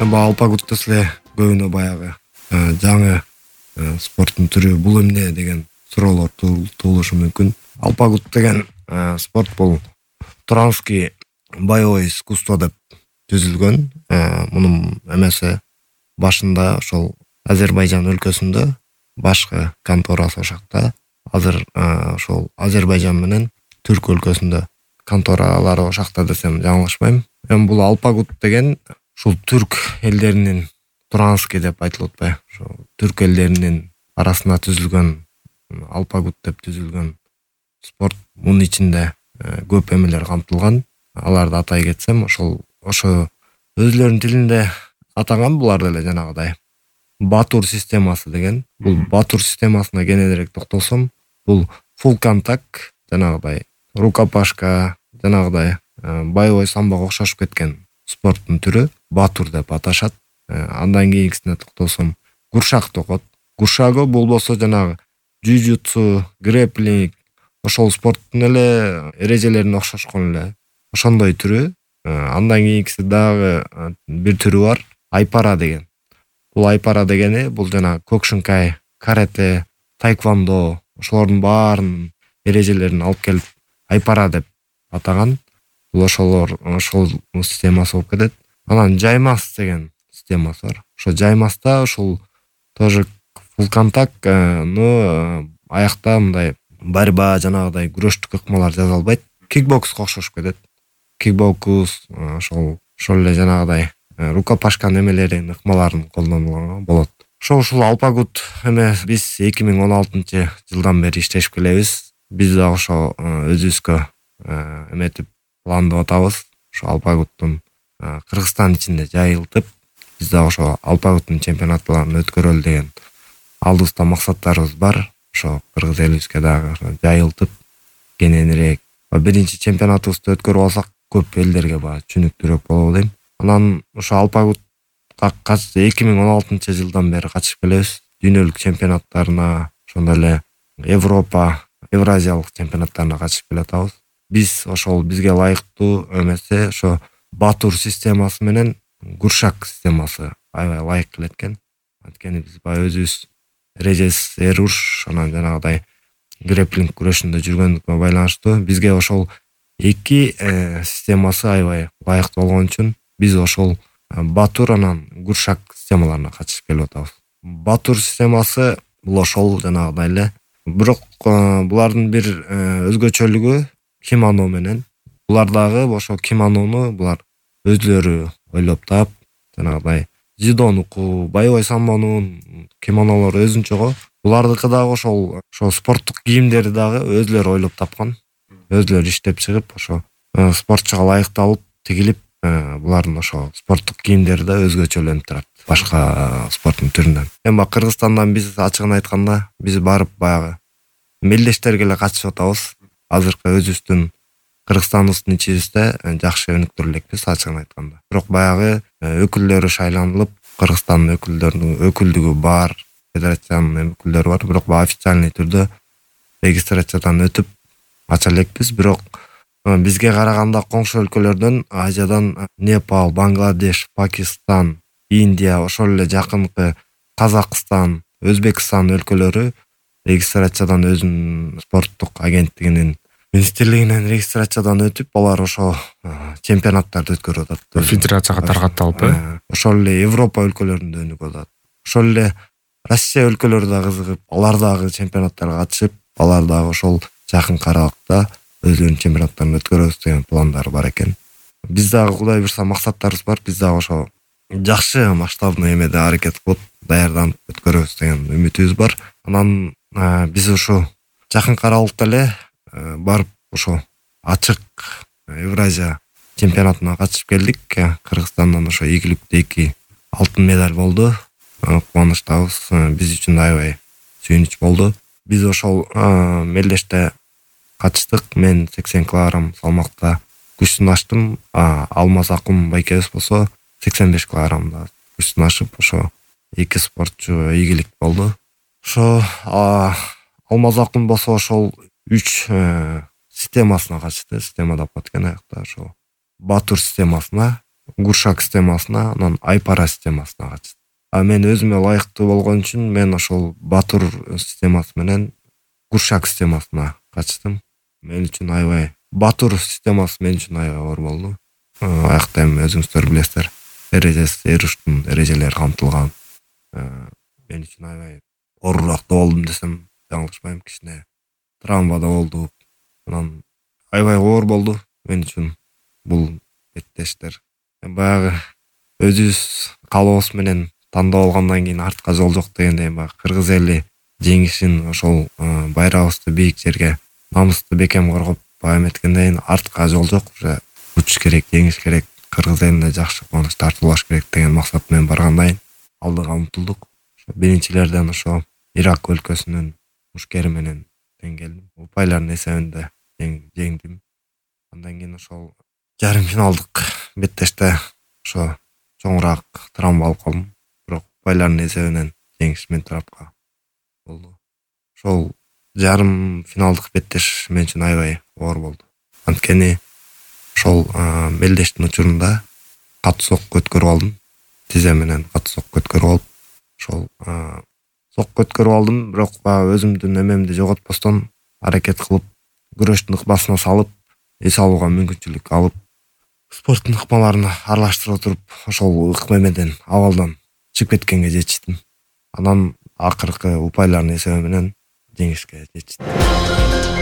Алпагут десе эле көбүнө баягы жаңы спорттун түрү бул эмне деген суроолор туулушу мүмкүн. Алпагут деген спорт бул туранский боевой искусство деп түзүлгөн. Мунун эмеси башында ошол Азербайжан өлкөсүндө башкы конторасы ошакта. Азыр ошол Азербайжан менен Түрк өлкөсүндө конторалары ошакта десем жаңылышпайм. Эми бул Алпагут деген ушул түрк элдеринин туранский деп айтылып атпайбы? Ошо түрк элдеринин арасында түзүлгөн Алпагут деп түзүлгөн спорт. Мунун ичинде көп эмелер камтылган. Аларды атай кетсем, ошо өзлөрүнүн тилинде атаган булар деле жанагыдай Батур системасы деген. Бул Батур системасына кененирээк токтолсом, бул full контакт, жанагыдай рукопашка, жанагыдай боевой самбого окшошуп кеткен спорттун түрү Батур деп аташат. Андан кийинкисине токтолсом, куршак токот. Куршагы болбосо жанагы джуджутсу, грэплинг, ошол спорттун эле эрежелерине окшошкон эле ошондой түрү. Андан кийинкиси дагы бир түрү бар, айпара деген. Бул айпара дегени бул жана кокшинкай, карате, тайквондо ошолордун баарынын эрежелерин алып келип айпара деп атаган. Бул ошол системасы болуп кетет. Анан жаймас деген системасы бар. Ошо жаймаста ошол тоже full контакт, но аякта мындай борьба, жанагыдай күрөштүк ыкмалар жасалбайт. Кикбокска окшошуп кетет. Кикбокс ошол эле жанагыдай рукопашка немелерин, ыкмаларын колдонулган болот. Ушул Алпагут эме биз 2016-жылдан бери иштешип келебиз. Биз дагы ошо өзүбүзгө эметип пландап атабыз. Ошо Алпагуттун Кыргызстан ичинде жайылтып, биз дагы ошо Алпагуттун чемпионаттарын өткөрөлү деген алдыбызда максаттарыбыз бар. Ошо кыргыз элибизге дагы жайылтып кененирээк биринчи чемпионатыбызды өткөрүп алсак, көп элдерге баягы түшүнүктүүрөөк болобу дейм. Анан ошо Алпагутка 2016-жылдан бери катышып келебиз. Дүйнөлүк чемпионаттарына, ошондой эле Европа, Евразиялык чемпионаттарына катышып келатабыз. Биз ошол бизге ылайыктуу эмесе ошо Батур системасы менен куршак системасы аябай ылайык келет экен. Анткени биз баягы өзүбүз эрежесиз эруш, анан жанагыдай грэплинг күрөшүндө жүргөндүккө байланыштуу бизге ошол эки системасы аябай ылайыктуу болгон үчүн биз ошол Батур анан куршак системаларына катышып келип атабыз. Батур системасы бул ошол жанагыдай эле, бирок булардын бир өзгөчөлүгү кимоно менен. Булар дагы ошо кимонону булар өзлөрү ойлоп таап, жанагыдай дзюдонуку, боевой самбонун кимонолору өзүнчөгө. Булардыкы дагы ошол спорттук кийимдери дагы өзлөрү ойлоп тапкан. Өзлөрү иштеп чыгып, ошо спортчуга ылайыкталып тигилип, булардын ошо спорттук кийимдери да өзгөчөлөнүп турат башка спорттун түрүнөн. Эми Кыргызстандан биз ачыгын айтканда, биз барып баягы мелдештерге эле катышып атабыз. Азыркы өзүбүздүн Кыргызстаныбыздын ичибизде жакшы өнүктүрө элекпиз ачыгын айтканда. Бирок баягы өкүлдөрү шайланылып, Кыргызстандын өкүлдүгү бар, федерациянын өкүлдөрү бар, бирок официальный түрдө регистрациядан өтүп ача элекпиз. Бирок бизге караганда коңшу өлкөлөрдөн, Азиядан Непал, Бангладеш, Пакистан, Индия, ошол эле жакынкы Казакстан, Өзбекстан өлкөлөрү регистрациядан өзүнүн спорттук агенттигинин министрлигинен регистрациядан өтүп, алар ошо чемпионаттарды өткөрүп атат. Федерацияга таркатталып, ошол эле Европа өлкөлөрүндө өнүгүп атат. Ошол эле Россия өлкөлөрү да кызыгып, алар дагы чемпионаттарга катышып, алар дагы ошол жакын аралыкта өзлөрүнүн чемпионаттарын өткөрөбүз деген пландары бар экен. Биз дагы Кудай буйрса максаттарыбыз бар. Биз дагы ошо жакшы масштабный эмеде аракет кылып, даярданып өткөрөбүз деген үмүтүбүз бар. Анан биз ушу жакын аралыкта эле барып ошо ачык Евразия чемпионатына катышып келдик. Кыргызстандан ошо ийгиликтүү 2 алтын медаль болду. Кубанычтабыз. Биз үчүн аябай сүйүнүч болду. Биз ошол мелдеште катыштык. Мен 80 кг салмакта күч сынаштым. Алмаз Акун байкебиз болсо 85 кг күч сынашып, ошо 2 спортчу ийгилик болду. Ошо Алмаз Акун болсо ошол 3 системасына катышты. Система деп аткен аякта ошо Батур системасына. гуршак системасына, анан айпара системасына качтым. А мен өзүмө ылайыктуу болгон үчүн мен ошол батур системасы менен гуршак системасына качтым. Мен үчүн аябай батур системасы мен үчүн аябай оор болду. Аякта эми өзүңүздөр билесиздер, эруштун эрежелери камтылган. Мен үчүн аябай оорураак да болдум десем жаңылышпайм. Кичине травмада болдук. Анан аябай оор болду мен үчүн бул беттештер. Баягы өзүбүз каалообуз менен тандап алгандан кийин артка жол жок дегендей, баягы кыргыз эли жеңишин, ошол байрагыбызды бийик жерге, намысты бекем коргоп эметкенден кийин артка жол жок, уже учуш керек, жеңиш керек, кыргыз элине жакшы кубаныч тартуулаш керек деген максат менен баргандан кийин алдыга умтулдук. Биринчилерден ошо Ирак өлкөсүнүн мушкери менен тең келдим. Упайлардын эсебинде жеңдим. Андан кийин ошол жарым финалдык беттеште ошо чоңураак травма алып калдым. Бирок упайлардын эсебинен жеңиш мен тарапка болду. Ошол жарым финалдык беттеш мен үчүн аябай оор болду. Анткени ошол белдештин учурунда катуу сокко өткөрүп алдым. Тизе менен катуу сокко өткөрүп алып, ошол сокко өткөрүп алдым, бирок өзүмдүн эмемди жоготпостон аракет кылып, күрөштүн ыкмасына салып, эс алууга мүмкүнчүлүк алып, спорттун ыкмаларын аралаштыра туруп, ошол ыкмемеден абалдан чыгып кеткенге жетиштим. Анан акыркы упайлардын эсеби менен жеңишке жетиштим.